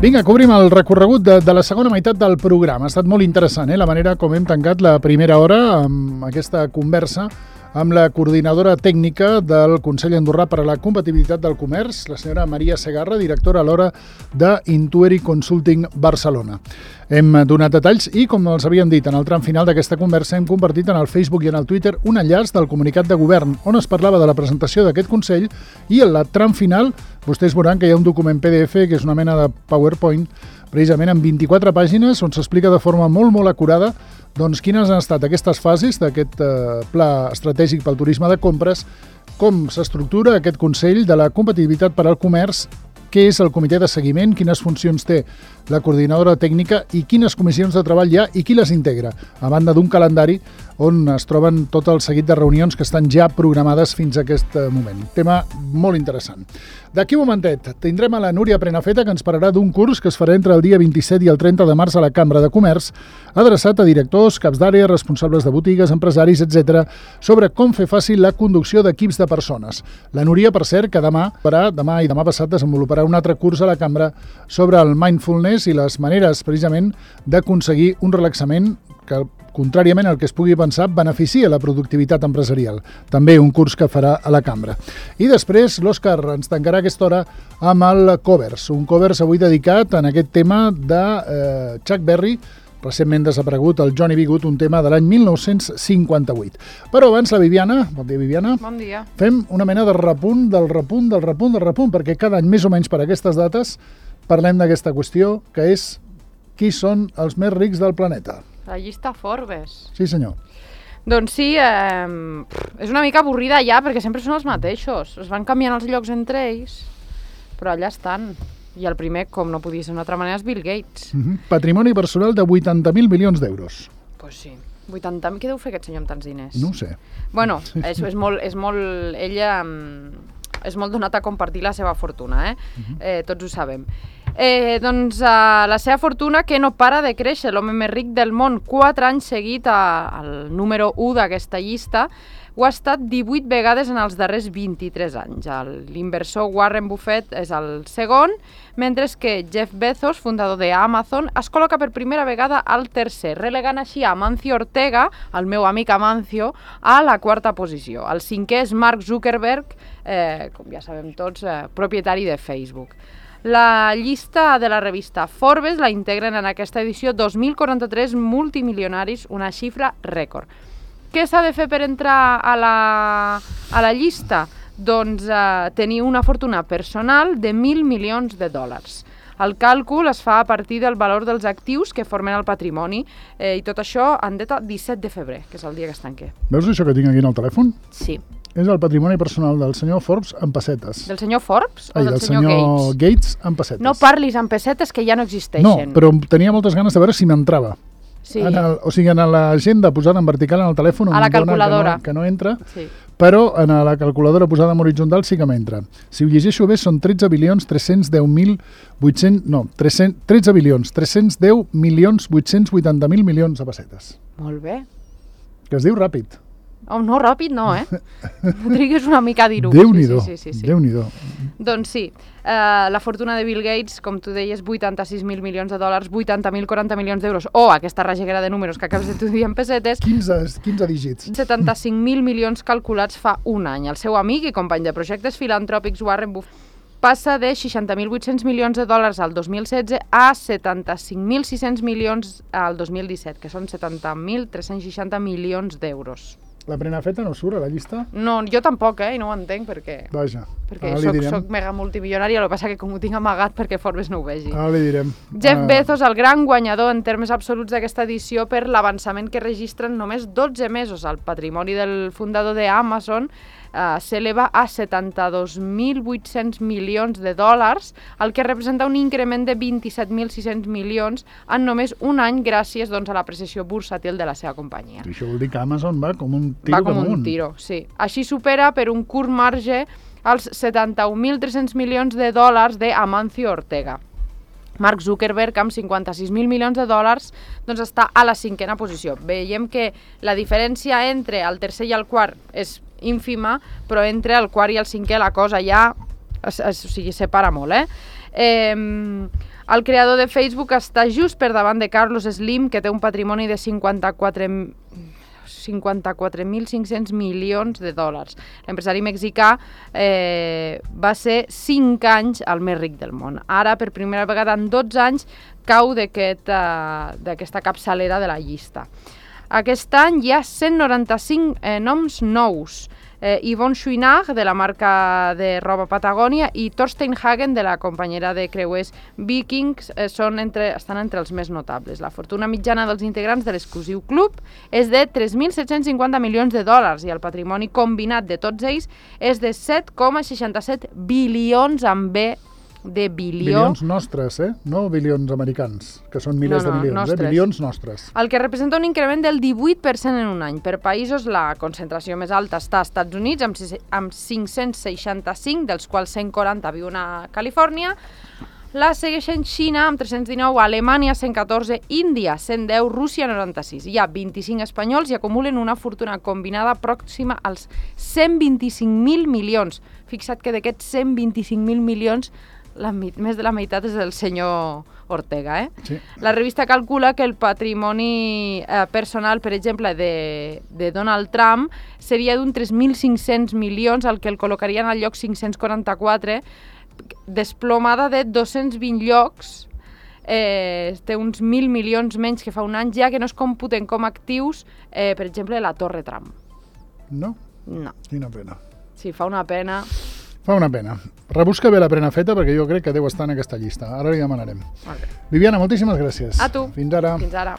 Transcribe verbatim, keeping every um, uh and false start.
Vinga, cobrim el recorregut de, de la segona meitat del programa. Ha estat molt interessant, eh? La manera com hem tancat la primera hora amb aquesta conversa amb la coordinadora tècnica del Consell Andorrà per a la Competitivitat del Comerç, la senyora Maria Segarra, directora alhora d'Intueri Consulting Barcelona. Hem donat detalls i, com els havíem dit, en el tram final d'aquesta conversa hem compartit en el Facebook i en el Twitter un enllaç del comunicat de govern on es parlava de la presentació d'aquest Consell i en el tram final vostès veuran que hi ha un document P D F que és una mena de PowerPoint precisament en vint-i-quatre pàgines on s'explica de forma molt, molt acurada doncs quines han estat aquestes fases d'aquest eh, pla estratègic pel turisme de compres, com s'estructura aquest Consell de la Competitivitat per al Comerç, què és el comitè de seguiment, quines funcions té la coordinadora tècnica i quines comissions de treball hi ha i qui les integra, a banda d'un calendari on es troben tot el seguit de reunions que estan ja programades fins a aquest moment. Tema molt interessant. D'aquí un momentet tindrem a la Núria Prenafeta, que ens parlarà d'un curs que es farà entre el dia vint-i-set i el trenta de març a la Cambra de Comerç, adreçat a directors, caps d'àrea, responsables de botigues, empresaris, etcètera, sobre com fer fàcil la conducció d'equips de persones. La Núria, per cert, que demà, farà, demà i demà passat desenvoluparà un altre curs a la Cambra sobre el mindfulness i les maneres, precisament, d'aconseguir un relaxament que, contràriament al que es pugui pensar, beneficia la productivitat empresarial. També un curs que farà a la Cambra. I després l'Òscar ens tancarà aquesta hora amb el Covers, un Covers avui dedicat en aquest tema de eh, Chuck Berry, recentment desaparegut el Johnny B. Good, un tema de l'any mil nou-cents cinquanta-vuit. Però abans la Viviana, bon dia Viviana, bon dia. Fem una mena de repunt, del repunt, del repunt, del repunt, perquè cada any més o menys per aquestes dates parlem d'aquesta qüestió, que és qui són els més rics del planeta. La llista Forbes. Sí, senyor. Doncs sí, eh, és una mica avorrida ja, perquè sempre són els mateixos. Es van canviant els llocs entre ells, però allà estan. I el primer, com no podia ser d'una altra manera, és Bill Gates. Uh-huh. Patrimoni personal de vuitanta mil milions d'euros. Doncs pues sí. vuitanta mil. Què deu fer aquest senyor amb tants diners? No ho sé. Bueno, és, és molt... És molt ella és molt donat a compartir la seva fortuna, eh? Uh-huh. eh tots ho sabem. Eh, doncs uh, la seva fortuna, que no para de créixer, l'home més ric del món, quatre anys seguit a, al número u d'aquesta llista, ho ha estat divuit vegades en els darrers vint-i-tres anys. L'inversor Warren Buffett és el segon, mentre que Jeff Bezos, fundador d'Amazon, es col·loca per primera vegada al tercer, relegant així a Amancio Ortega, el meu amic Amancio, a la quarta posició. El cinquè és Mark Zuckerberg, eh, com ja sabem tots, eh, propietari de Facebook. La llista de la revista Forbes la integren en aquesta edició dos mil quaranta-tres multimilionaris, una xifra rècord. Què s'ha de fer per entrar a la, a la llista? Doncs eh, tenir una fortuna personal de mil milions de dòlars. El càlcul es fa a partir del valor dels actius que formen el patrimoni eh, i tot això en data disset de febrer, que és el dia que es tanqui. Veus això que tinc aquí en el telèfon? Sí. És el patrimoni personal del senyor Forbes en pessetes. Del senyor Forbes o Ai, del, del senyor, senyor Gates? Gates en pessetes. No parlis en pessetes que ja no existeixen. No, però tenia moltes ganes de veure si m'entrava. Sí. En el, o sigui, en l'agenda posada en vertical en el telèfon, a la calculadora. Que no, que no entra, sí. Però en la calculadora posada en horitzontal sí que m'entra. Si ho llegeixo bé, són tretze bilions tres-cents deu mil vuit-cents... No, tretze bilions tres-cents deu milions vuit-cents vuitanta mil milions de pessetes. Molt bé. Que es diu ràpid. Oh, no, ràpid no, eh? Trigues una mica a dir-ho. Déu-n'hi-do, sí, sí, sí, sí. Déu-n'hi-do. Doncs sí, uh, la fortuna de Bill Gates, com tu deies, vuitanta-sis mil milions de dòlars, vuitanta mil quaranta milions d'euros, o aquesta rageguera de números que acabes de tu dir en pessetes, quinze, quinze dígits. setanta-cinc mil milions calculats fa un any. El seu amic i company de projectes filantròpics Warren Buffett passa de seixanta mil vuit-cents milions de dòlars al dos mil setze a setanta-cinc mil sis-cents milions al dos mil disset, que són setanta mil tres-cents seixanta milions d'euros. La Prenafeta no surt a la llista? No, jo tampoc, eh? I no ho entenc perquè... Vaja. Perquè soc, soc mega multimilionària, el que passa que com ho tinc amagat perquè Forbes no ho vegi. Ara li direm. Jeff uh... Bezos, el gran guanyador en termes absoluts d'aquesta edició per l'avançament que registren només dotze mesos. El patrimoni del fundador d'Amazon uh, s'eleva a setanta-dos mil vuit-cents milions de dòlars, el que representa un increment de vint-i-set mil sis-cents milions en només un any gràcies doncs, a l'apreciació bursàtil de la seva companyia. I això vol dir que Amazon va com un tiro va com damunt. un tiro, sí. Així supera per un curt marge els setanta-un mil tres-cents milions de dòlars d'Amancio Ortega. Mark Zuckerberg, amb cinquanta-sis mil milions de dòlars, doncs està a la cinquena posició. Veiem que la diferència entre el tercer i el quart és ínfima, però entre el quart i el cinquè la cosa ja o sigui, separa molt, eh? eh el creador de Facebook està just per davant de Carlos Slim, que té un patrimoni de cinquanta-quatre mil cinc-cents milions de dòlars. L'empresari mexicà eh, va ser cinc anys el més ric del món. Ara, per primera vegada en dotze anys, cau d'aquesta aquest, capçalera de la llista. Aquest any hi ha cent noranta-cinc eh, noms nous. Eh, Yvonne Chouinard, de la marca de roba Patagònia, i Thorstein Hagen, de la companyera de creuers Vikings, eh, són entre, estan entre els més notables. La fortuna mitjana dels integrants de l'exclusiu club és de tres mil set-cents cinquanta milions de dòlars i el patrimoni combinat de tots ells és de set coma seixanta-set bilions amb B de bilió. Bilions nostres, eh? No bilions americans, que són milers no, no, de milions, nostres. eh? Bilions nostres. El que representa un increment del divuit per cent en un any. Per països, la concentració més alta està als Estats Units, amb, amb cinc-cents seixanta-cinc, dels quals cent quaranta viuen a Califòrnia. La segueixen Xina, amb tres-cents dinou, Alemanya, cent catorze, Índia, cent deu, Rússia, noranta-sis. Hi ha vint-i-cinc espanyols i acumulen una fortuna combinada pròxima als cent vint-i-cinc mil milions. Fixa't que d'aquests cent vint-i-cinc mil milions La, més de la meitat és del senyor Ortega. Eh? Sí. La revista calcula que el patrimoni eh, personal, per exemple, de, de Donald Trump seria d'un tres mil cinc-cents milions, el que el col·locarien al lloc cinc-cents quaranta-quatre, desplomada de dos-cents vint llocs, eh, té uns mil milions menys que fa un any, ja que no es computen com actius, eh, per exemple, la Torre Trump. No? No. Quina pena. Sí, fa una pena... Fa una pena. Rebusca bé la prena feta perquè jo crec que deu estar en aquesta llista. Ara li demanarem. Okay. Viviana, moltíssimes gràcies. A tu. Fins ara. Fins ara.